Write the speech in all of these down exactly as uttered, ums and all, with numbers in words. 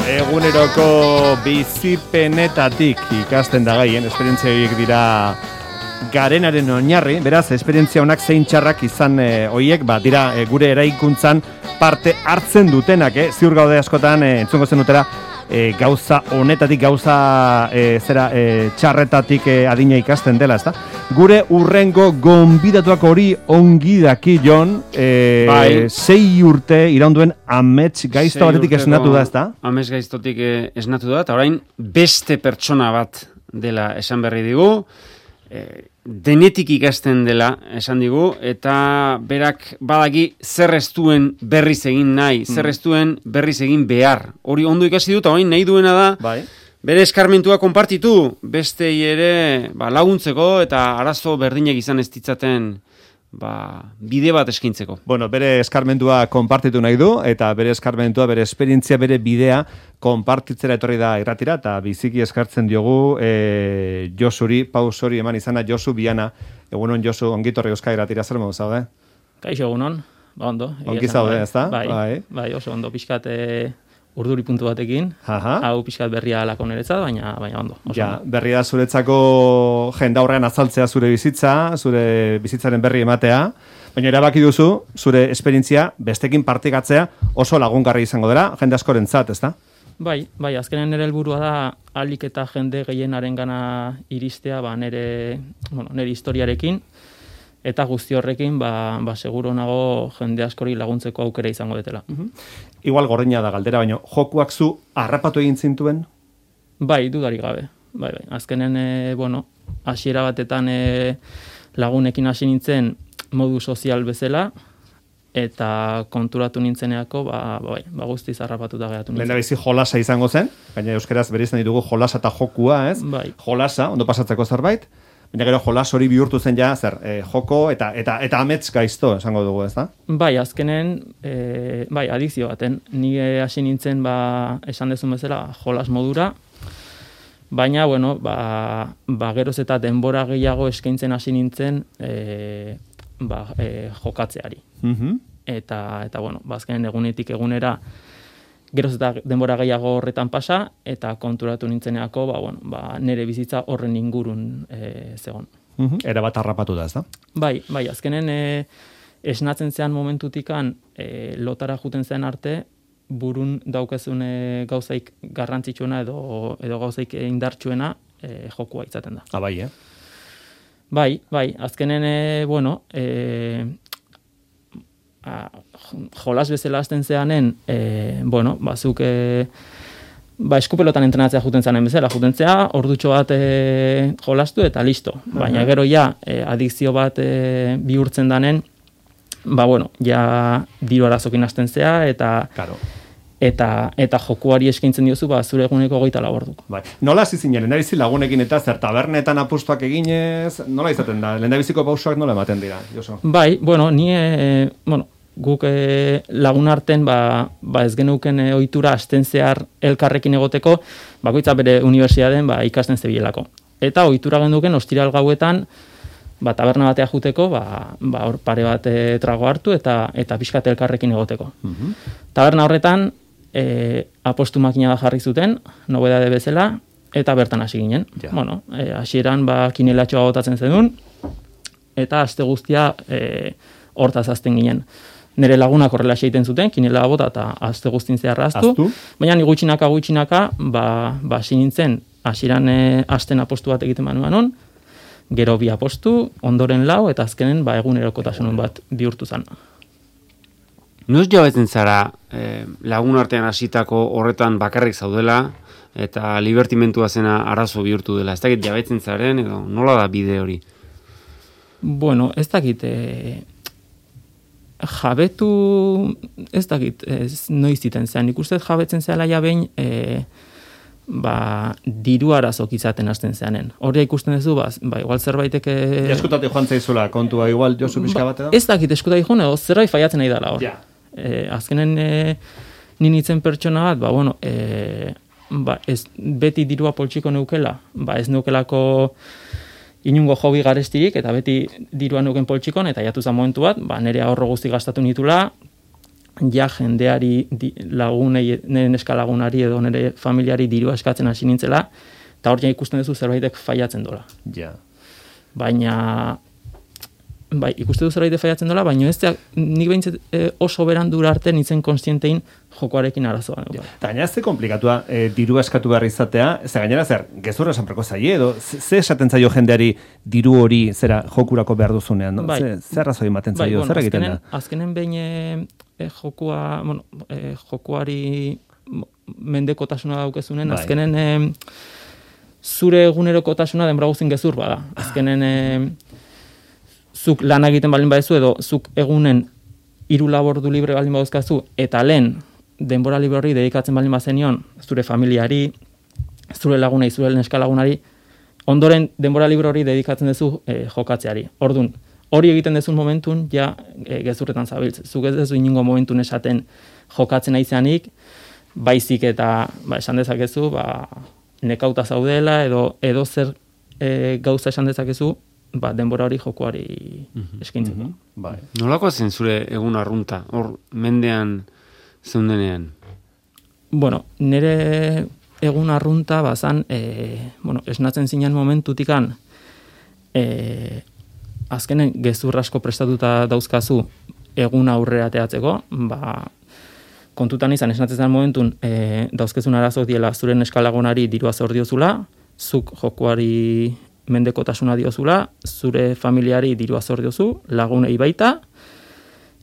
Eguneroko bizipenetatik ikasten da gaien, esperientzia horiek dira garenaren oinarri, beraz, esperientzia honak zein txarrak izan e, hoiek, ba, dira e, gure eraikuntzan parte hartzen dutenak, eh? Ziur gaude askotan, e, entzungo zen dutera, e, gauza honetatik, gauza e, zera e, txarretatik e, adina ikasten dela, ezta? Gure urrengo gonbidatuak hori ongi daki jon, e, bai. sei urte iraunduen amets gaizto batetik esnatu da, ezta? Amets gaiztotik esnatu da, eta orain beste pertsona bat dela esan berri digu, e, denetik ikasten dela esan digu, eta berak badaki zer ez duen berriz egin nahi, mm. zer ez duen berriz egin behar. Hori ondo ikasi dut, orain nahi duena da, bai. Bere eskarmentua konpartitu, bestei ere ba, laguntzeko eta arazo berdinek izan ez ditzaten ba, bide bat eskintzeko. Bueno, bere eskarmentua konpartitu nahi du, eta bere eskarmentua, bere esperientzia, bere bidea konpartitzera etorri da irratira, eta biziki eskartzen diogu e, Josuri, pausori eman izana, Josu Biana. Egunon, Josu, ongitorri euskal irratira, zer modu zaude? Kaixo, egunon, ba ondo. Ongi zaude, ez da? Bai, bai, bai, oso ondo, pixkat urduri puntu batekin, Aha. hau pixkat berria alako niretzat, baina, baina ondo. Oso ja, ondo. Berria zuretzako jenda horrean azaltzea zure bizitza, zure bizitzaren berri ematea, baina erabaki duzu, zure esperientzia bestekin partikatzea oso lagungarri izango dela, jende askorentzat, ezta? Bai, bai, azkenen nire helburua da ahalik eta jende gehienaren gana iristea, ba, nire, bueno, nire historiarekin, eta guzti horrekin, ba, ba seguro nago jende askori laguntzeko aukera izango detela. Uh-huh. Igual gordina da galdera, baina jokuak zu harrapatu egin zintuen? Bai, dudarik gabe. Bai, bai. Azkenen, e, bueno, hasiera batetan e, lagunekin hasi nintzen modu sozial bezala, eta konturatu nintzeneako, ba, bai, ba guztiz harrapatuta geratu nintzen. Lehendabizi jolasa izango zen, baina euskaraz bereizten ditugu jolasa eta jokua, ez? Bai. Jolasa, ondo pasatzeko zerbait, baina gero jolas hori bihurtu zen ja, zer, e, joko eta eta eta amets gaizto esango dugu, ez da? Bai, azkenen, e, bai, adikzio baten. Ni hasi nintzen, ba, esan dezun bezala, jolas modura, baina, bueno, ba, ba geroz eta denbora gehiago eskaintzen hasi nintzen e, ba, e, jokatzeari. Uh-huh. Eta, eta, bueno, ba, azkenen egunetik egunera geroz eta denbora gehiago horretan pasa, eta konturatu nintzeneako, ba, bueno, ba, nire bizitza horren ingurun e, zegon. Uh-huh. Era bat harrapatu da, ez da? Bai, bai, azkenen e, esnatzen zean momentutikan e, lotara juten zen arte, burun daukezun e, gauzaik garrantzitsuena edo, edo gauzaik indartsuena e, jokua izaten da. Ah, bai, eh? Bai, bai, azkenen, e, bueno, e, a, jolas bezala hasten zeanen, e, bueno, bazuk e, ba, eskupelotan entrenatzea juten zanen bezala, jutentzea, ordutxo bat e, jolastu eta listo. Baina uh-huh. gero ja, e, adikzio bat e, bihurtzen danen, ba, bueno, ja diru arazokin hasten zea, eta claro. eta eta jokuari eskaintzen diozu, ba, zure eguneko hogeita lau ordu. Bai. Nola hasi zinen, lehendabizi lagunekin eta zer tabernetan apustuak eginez, nola izaten da? Lehendabiziko pausoak nola ematen dira, Josu? Bai, bueno, ni, e, bueno, guk e, lagun arten, ba, ba ez genuken e, ohitura hasten zehar elkarrekin egoteko, bakoitza bere unibertsitatean ba, ikasten zebilelako. Eta ohitura genduken ostiral gauetan, ba, taberna batea juteko, ba, ba, hor pare bat e, trago hartu eta eta pixkat elkarrekin egoteko. Uh-huh. Taberna horretan, e, apostu makina da jarri zuten, nobedade bezala, eta bertan hasi ginen. Ja. Bueno, e, hasieran ba, kinelatxoa botatzen zenun, eta aste guztia e, hortaz azten ginen. Nere lagunak horrela egiten zuten, kinela bota eta aste guztin zehar aztu, baina ni gutxinaka gutxinaka, ba, ba hasi nintzen, hasieran e, asten apostu bat egiten manuan on, gero bi apostu, ondoren lau, eta azkenen ba, egunerokotasunun bat bihurtu zen. Noz jabetzen zara eh, lagun artean hasitako horretan bakarrik zaudela, eta libertimentua zena arazo bihurtu dela? Ez dakit jabetzen zaren, edo nola da bide hori? Bueno, ez dakit... E, jabetu, ez dakit, ez noiz iten zean. Ikusten jabetzen zehala ja behin, e, ba, diru arazok izaten hasten zeanen. Horria ikusten duzu, ba, ba igual zerbaitek... E... Eskutatik joan zaizula, kontua, igual Josu pixka bat edo? Ez dakit, eskutatik joan, edo zerbait faiatzen nahi dela hor. Ja. E, azkenen e, ninitzen pertsona bat, ba, bueno, e, ba, ez, beti dirua poltsiko neukela, ba, ez neukelako inungo hobi garestirik, eta beti diruan nuken poltsikon, eta jatu zen momentu bat, ba, nire ahorro guzti gastatu nitula, ja jendeari di, lagunei, nire neska lagunari edo nire familiari dirua eskatzen hasi nintzela, eta hor ja ikusten duzu zerbaitek faiatzen dola. Ja. Baina, bai, ikuste du zerbait faiatzen dola, baina ez da, nik behintzat e, oso berandura arte nintzen konstientein jokoarekin arazoa. Ja. Eta gainera ze komplikatua e, diru eskatu behar izatea, ez gainera zer, gezurra esanpreko zaie, edo ze esaten zaio jendeari diru hori zera jokurako behar duzunean, no? Bai. Ze, zer razoi ematen zaio, bai, bueno, zer egiten azkenen, da? Azkenen behin e, e, jokua, bueno, e, jokuari mendekotasuna daukezunen, Bai. azkenen e, zure egunerokotasuna denbora guztin gezur bada. Azkenen e, zuk lan egiten baldin badezu edo zuk egunen hiru labordu libre baldin baduzkazu eta lehen denbora libre horri dedikatzen baldin bazenion zure familiari, zure lagunei, zure neska lagunari, ondoren denbora libre hori dedikatzen duzu e, jokatzeari. Ordun, hori egiten dezun momentun ja e, gezurretan zabiltz. Zuk ez dezu inongo momentun esaten jokatzen aizanik, baizik eta ba, esan dezakezu, ba, nekauta zaudela edo edo zer e, gauza esan dezakezu, ba, denbora hori jokoari eskaintzeko. Mm-hmm. Bai. Nolako zen zure egun arrunta, hor mendean zeundenean? Bueno, nire egun arrunta bazan, e, bueno, esnatzen zinen momentutikan, e, azkenen gezur asko prestatuta dauzkazu egun aurrera teatzeko, ba, kontutan izan esnatzen zen momentun e, dauzkezun arazo diela zure neskalagonari dirua zor diozula, zuk jokoari mendekotasuna diozula, zure familiari dirua zor diozu, lagunei baita,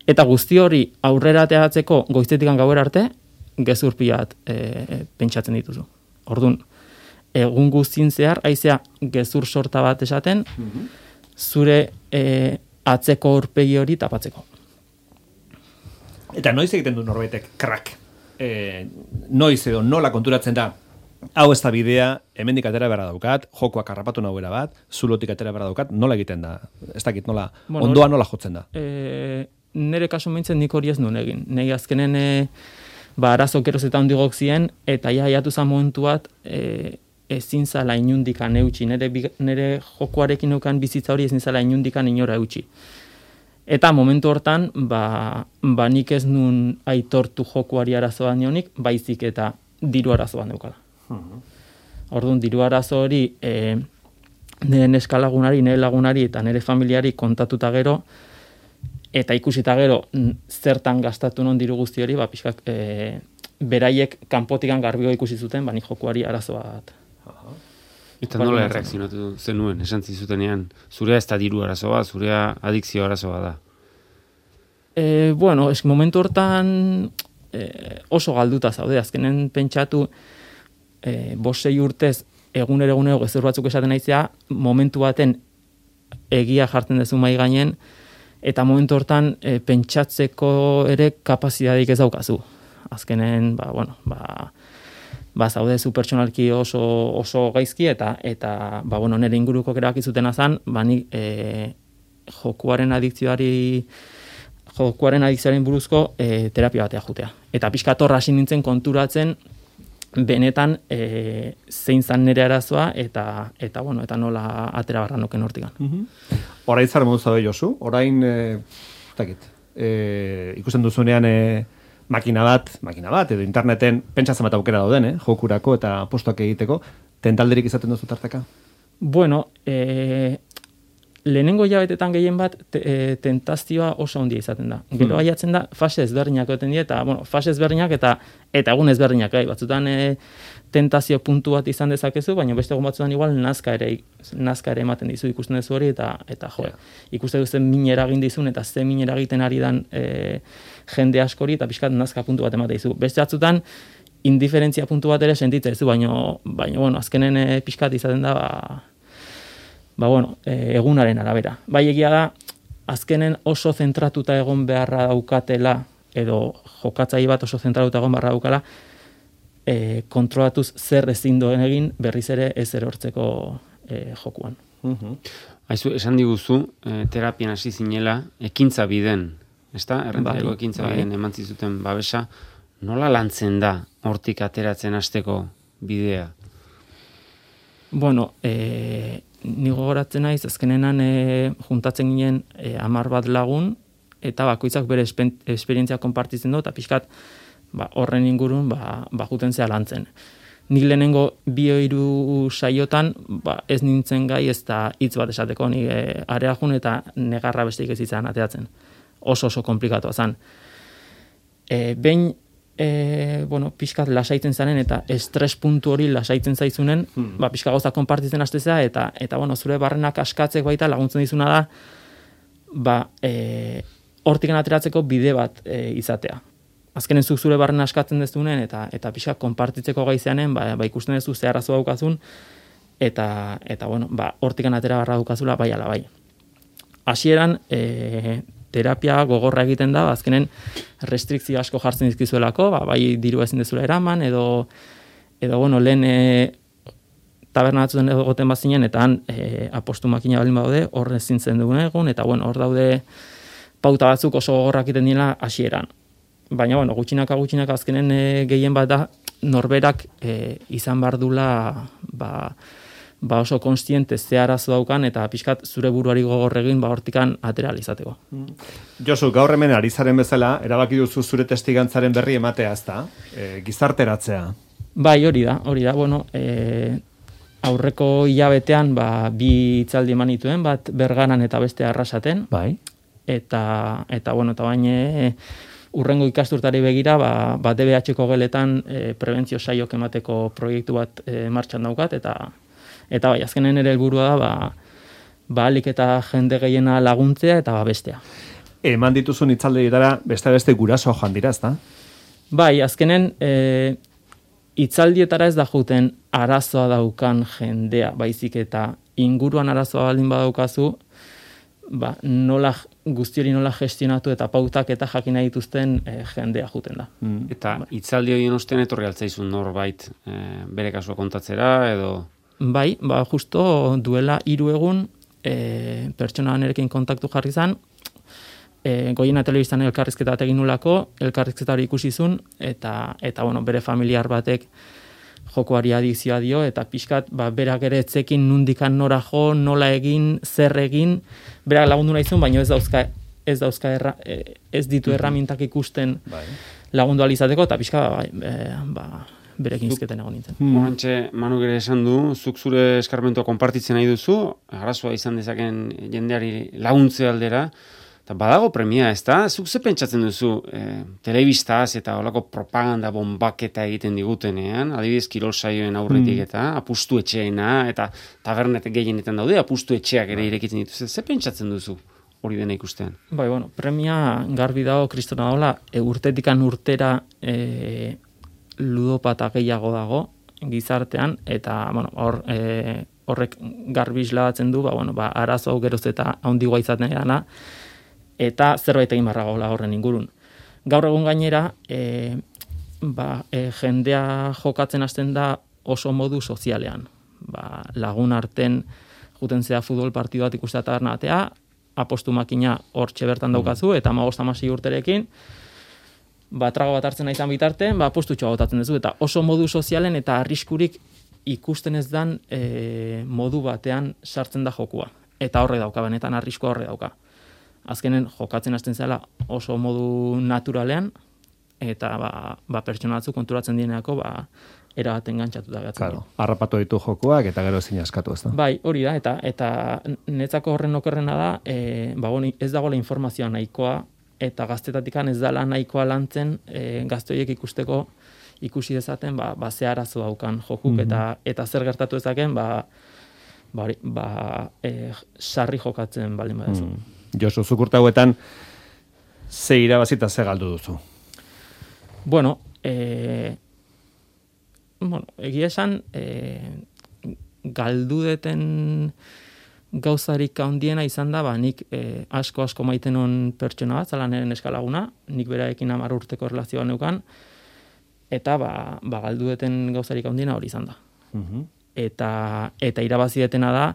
eta guzti hori aurrera teatzeko goiztetikan gauera arte, gezur pilat e, pentsatzen dituzu. Ordun, egun guztien zehar, haizea gezur sorta bat esaten, zure e, atzeko aurpegi hori tapatzeko. Eta noiz egiten du norbaitek krak? E, noiz edo nola konturatzen da? Hau ez da bidea, hemendik atera beharra daukat, jokoak harrapatu nahuera bat, zulotik atera beharra daukat, nola egiten da? Ez dakit, nola, bueno, ondoa nola jotzen da? E, nere kasu meintzen nik hori ez nuen egin. Nei azkenen e, ba, arazo geroz eta hondigok zien, eta ja jatu zan momentu bat, e, ezin zala inundikan eutxi. Nere, nere jokoarekin neukan bizitza hori ezin zala inundikan inora eutxi. Eta momentu hortan, ba, ba nik ez nun aitortu jokuari arazoa nionik, baizik eta diru arazoa neukala. Orduan, diru arazo hori e, nire neska lagunari, nire lagunari eta nire familiari kontatuta gero, eta ikusita gero zertan gastatu non diru guzti hori, ba, pixkak, e, beraiek kanpotikan garbio ikusi zuten, ba, nik jokuari arazoa bat. Eta nola erreakzionatu zenuen, esan zizutenean, zurea ez da diru arazoa, zurea adikzio arazoa da? E, bueno, es momentu hortan e, oso galduta zaude, azkenen pentsatu, e, bosei urtez egunero egunero gezur batzuk esaten naizea, momentu baten egia jartzen dezu mai gainen, eta momentu hortan e, pentsatzeko ere kapazidadik ez daukazu. Azkenen, ba, bueno, ba, ba zaude zu pertsonalki oso, oso gaizki, eta, eta ba, bueno, nire inguruko erabaki zuten azan, ba, ni e, jokuaren adikzioari jokuaren adikzioaren buruzko e, terapia batea jutea. Eta pixka torra hasi nintzen konturatzen benetan e, zein zan nire arazoa eta eta bueno, eta nola atera barra noken hortikan. Mm-hmm. Orain zara modu zaude Josu, orain e, takit, e, ikusten duzunean e, makina bat, makina bat, edo interneten pentsatzen bat aukera dauden, eh, jokurako eta postuak egiteko, tentalderik izaten duzu tarteka? Bueno, e, lehenengo jabetetan gehien bat te, e, tentazioa oso handia izaten da. Gero aiatzen da fase ezberdinak egoten dira, eta bueno, fase ezberdinak eta eta egun ezberdinak, bai, batzutan e, tentazio puntu bat izan dezakezu, baina beste egun batzutan igual nazka ere nazka ere ematen dizu, ikusten duzu hori eta eta jo, yeah. Ikusten duzu min eragin dizun eta ze min eragiten ari dan e, jende askori eta pixkat nazka puntu bat ematen dizu. Beste batzutan indiferentzia puntu bat ere sentitzen duzu, baina baina bueno, azkenen e, pixkat izaten da ba Ba, bueno, e, egunaren arabera. Bai egia da, azkenen oso zentratuta egon beharra daukatela, edo jokatzai bat oso zentratuta egon beharra daukala, e, kontrolatuz zer ezin doen egin berriz ere ez erortzeko e, jokuan. Uh-huh. Aizu, esan diguzu, e, terapian hasi zinela, ekintza biden, ezta? Errentareko bai, ekintza bai. biden eman zizuten babesa, nola lantzen da hortik ateratzen hasteko bidea? Bueno, e, ni gogoratzen naiz, azkenenan e, juntatzen ginen e, amar bat lagun, eta bakoitzak bere esperientzia konpartitzen du, eta pixkat ba, horren ingurun ba, ba juten zea lantzen. Nik lehenengo bi hiru saiotan ba, ez nintzen gai ez da hitz bat esateko, ni e, area jun eta negarra besteik ez izan ateatzen. Oso oso komplikatua zen. E, behin, e, bueno, pixkat lasaitzen zaren eta estres puntu hori lasaitzen zaizunen, hmm. ba, pixka gauza konpartitzen hastezea eta, eta bueno, zure barrenak askatzek baita laguntzen dizuna da, ba, e, hortikan ateratzeko bide bat e, izatea. Azkenen zuk zure barren askatzen dezunen eta eta pixka konpartitzeko gaizeanen, ba, ba ikusten duzu ze arazo daukazun eta eta bueno, ba hortikan atera barra daukazula bai ala bai. Hasieran e, terapia gogorra egiten da, azkenen restrikzio asko jartzen dizkizuelako, ba bai diru ezin dezula eraman edo edo bueno, lehen e, taberna batzuen egoten bazinen eta han e, apostu makina balin badaude, hor ezin zen dugun egun eta bueno, hor daude pauta batzuk oso gogorrak egiten dira hasieran. Baina, bueno, gutxinaka gutxinaka azkenen e, gehien bat da, norberak e, izan bardula ba, ba oso konstiente ze arazo daukan eta pixkat zure buruari gogor egin ba hortikan atera izateko. Josu, gaur hemen ari zaren bezala, erabaki duzu zure testigantzaren berri ematea, ezta? E, gizarteratzea. Bai, hori da, hori da, bueno, e, aurreko hilabetean ba, bi hitzaldi eman dituen, bat Bergaran eta beste Arrasaten. Bai. Eta, eta bueno, eta baina e, urrengo ikasturtari begira, ba, ba D B H-ko geletan e, prebentzio saiok emateko proiektu bat e, martxan daukat, eta eta bai, azkenen ere helburua da, ba, ba alik eta jende gehiena laguntzea eta ba bestea. Eman dituzun hitzaldietara beste beste guraso joan dira, ezta? Bai, azkenen e, hitzaldietara ez da juten arazoa daukan jendea, baizik eta inguruan arazoa baldin badaukazu, ba, nola guztiori nola gestionatu eta pautak eta jakina dituzten e, jendea juten da. Mm. Eta hitzaldi horien ostean etorri altzaizun norbait e, bere kasua kontatzera edo? Bai, ba, justo duela hiru egun e, pertsona nerekin kontaktu jarri zan, e, Goiena Telebistan elkarrizketa egin nulako, elkarrizketa hori ikusizun, eta, eta bueno, bere familiar batek jokoari adikzioa dio, eta pixkat, ba, berak ere etzekin nundikan nora jo, nola egin, zer egin, berak lagundu nahizun, baina ez dauzka, ez dauzka erra, ez ditu erramintak ikusten bai. Lagundu alizateko, eta pixka, ba, e, ba, berekin izketen egon nintzen. Horantxe, Manu gere esan du, zuk zure eskarmentua konpartitzen nahi duzu, arazoa izan dezaken jendeari laguntze aldera, eta badago premia, ez da? Zuk ze pentsatzen duzu e, telebistaz eta olako propaganda bombaketa egiten digutenean, adibidez kirol saioen aurretik mm. eta apustu etxeena, eta tabernet gehienetan daude, apustu etxeak ere irekitzen dituz. Ze pentsatzen duzu hori dena ikustean? Bai, bueno, premia garbi dago kristona dagoela, e, urtetikan urtera e, ludopata gehiago dago gizartean, eta bueno, hor, e, horrek garbi isladatzen du, ba, bueno, ba, arazo geroz eta handigoa izaten dena, eta zerbait egin barra gaula horren ingurun. Gaur egun gainera, e, ba, e, jendea jokatzen hasten da oso modu sozialean. Ba, lagun arten juten zea futbol partidu bat ikustea tabernatea, apostu makina hortxe bertan daukazu, eta hamabost hamasei urterekin, ba, trago bat hartzen izan bitartean, ba, apostutxoa botatzen duzu, eta oso modu sozialen eta arriskurik ikusten ez dan e, modu batean sartzen da jokua. Eta horre dauka, benetan arriskua horre dauka. Azkenen jokatzen hasten zela oso modu naturalean, eta ba, ba pertsona batzu konturatzen dieneako ba, erabaten gantzatuta gatzen. Claro, harrapatu ditu jokuak eta gero ezin askatu, ez da? Bai, hori da, eta eta netzako horren okerrena da, e, ba, bon, ez dagoela informazioa nahikoa, eta gaztetatikan ez dala nahikoa lantzen e, gaztoiek ikusteko ikusi dezaten, ba, ba ze arazo daukan jokuk, mm-hmm. eta, eta zer gertatu ezaken, ba, ba, ba e, sarri jokatzen baldin badezu. Mm. Josu, zukurta hauetan, ze irabazita ze galdu duzu? Bueno, e, bueno egia esan, e, galdu deten gauzarik handiena izan da, ba, nik e, asko asko maiten on pertsona bat, zala nire neskalaguna, nik beraekin hamar urteko erlazioa neukan, eta ba, ba galdu deten gauzarik handiena hori izan da. Uh-huh. Eta, eta irabazi detena da,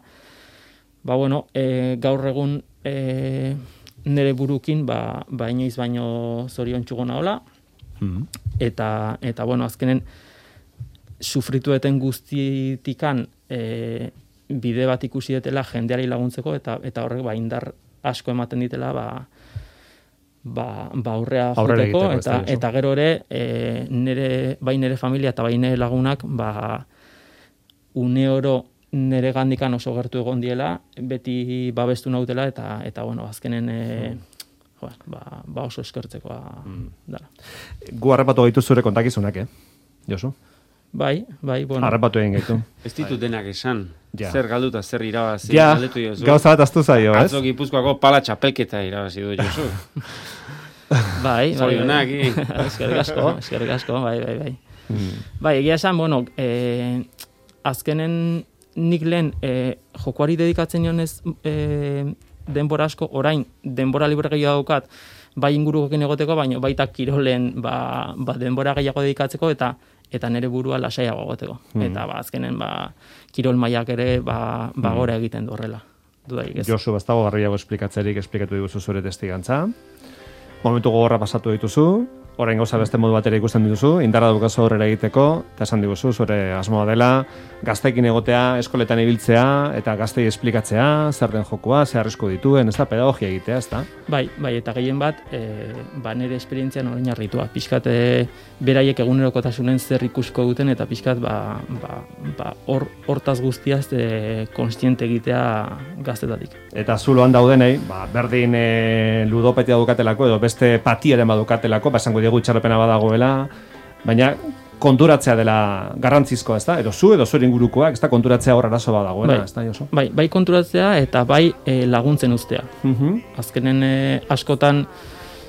ba, bueno, e, gaur egun e, nire burukin, ba, ba inoiz baino zorion txugona hola, mm-hmm. eta, eta, bueno, azkenen sufritueten guztitikan e, bide bat ikusi detela jendeari laguntzeko, eta, eta horrek, ba, indar asko ematen ditela, ba, ba, ba aurrea Aurrera joteko, egiteko, ez da, eta, Josu. eta gero ere, e, nire, bai nire familia eta bai nire lagunak, ba, une oro nire gandikan oso gertu egon diela, beti babestu nautela, eta, eta bueno, azkenen, e, jo, ba, ba oso eskertzekoa dela. Gu harrapatu gaitu zure kontakizunak, eh? Josu? Bai, bai, bueno. Harrapatu egin gaitu. Ez ditut denak esan. Ja. Zer galduta, zer irabazi. Ja, galdetu jozu. gauza bat aztu zaio, ez? Atzo Gipuzkoako pala txapelketa irabazi du Josu. Bai, bai, Zorionak, bai. Eskerrik asko, eskerrik asko, bai, bai, bai. Bai, egia esan, bueno, eh, azkenen nik lehen eh, jokoari dedikatzen nionez eh, denbora asko, orain denbora libre gehiago daukat, bai ingurukokin egoteko, baina baita kirolen ba, ba denbora gehiago dedikatzeko eta eta nire burua lasaiago egoteko. Mm. Eta ba, azkenen ba, kirol mailak ere ba, ba gora egiten du horrela. Dudarik ez. Josu, bastago garriago esplikatzerik esplikatu diguzu zure testigantza. Momentu gogorra pasatu dituzu, orain gauza beste modu batera ikusten dituzu, indarra daukazu aurrera egiteko, eta esan diguzu, zure asmoa dela, gazteekin egotea, eskoletan ibiltzea, eta gaztei esplikatzea, zer den jokoa, zer arrisku dituen, ez da, pedagogia egitea, ez da? Bai, bai, eta gehien bat, e, ba nire esperientzian orain arritua. Pixkat, e, beraiek egunerokotasunen zer ikusko duten, eta pixkat, ba, ba, ba, hor, hortaz guztiaz e, konstiente egitea gaztetatik. Eta zuloan daudenei, ba, berdin e, ludopetia dukatelako, edo beste patiaren badukatelako, ba, esango diegu itxarrepena badagoela, baina konturatzea dela garrantzizkoa, ez da? Edo zu, edo zure ingurukoak, ez da, konturatzea hor arazo badagoela, Bai. ez da, Josu? Bai, bai konturatzea eta bai e, laguntzen uztea. Mhm. Azkenen e, askotan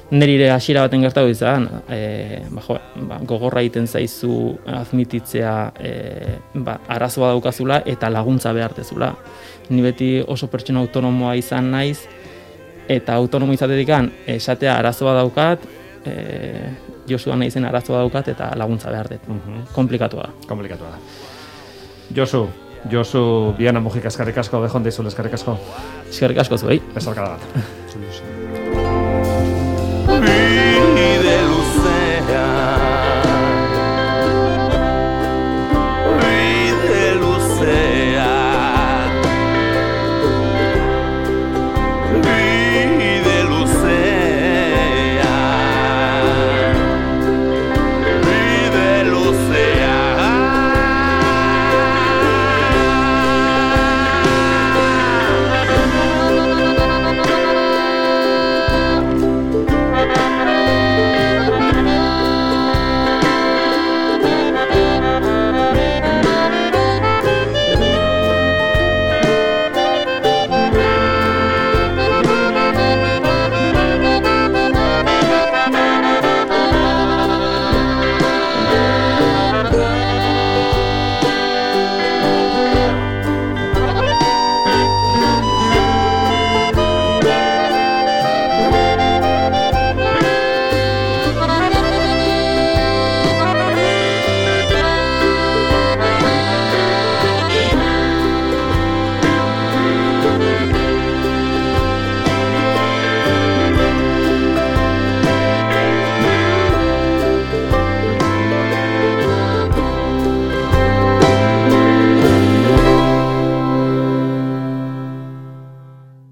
nire hasiera baten gertatu izan, e, ba, jo, ba, gogorra egiten zaizu admititzea e, ba, arazoa daukazula eta laguntza behartezula. Ni beti oso pertsona autonomoa izan naiz, eta autonomo izatetikan esatea arazoa daukat, e, Josua naizen arazoa daukat eta laguntza behar dut. Mhm. Komplikatua da. Komplikatua da. Josu, Josu, Biana Mujika eskerrik asko, bejon deizule eskerrik asko. Eskerrik asko zuei. Besarkada bat.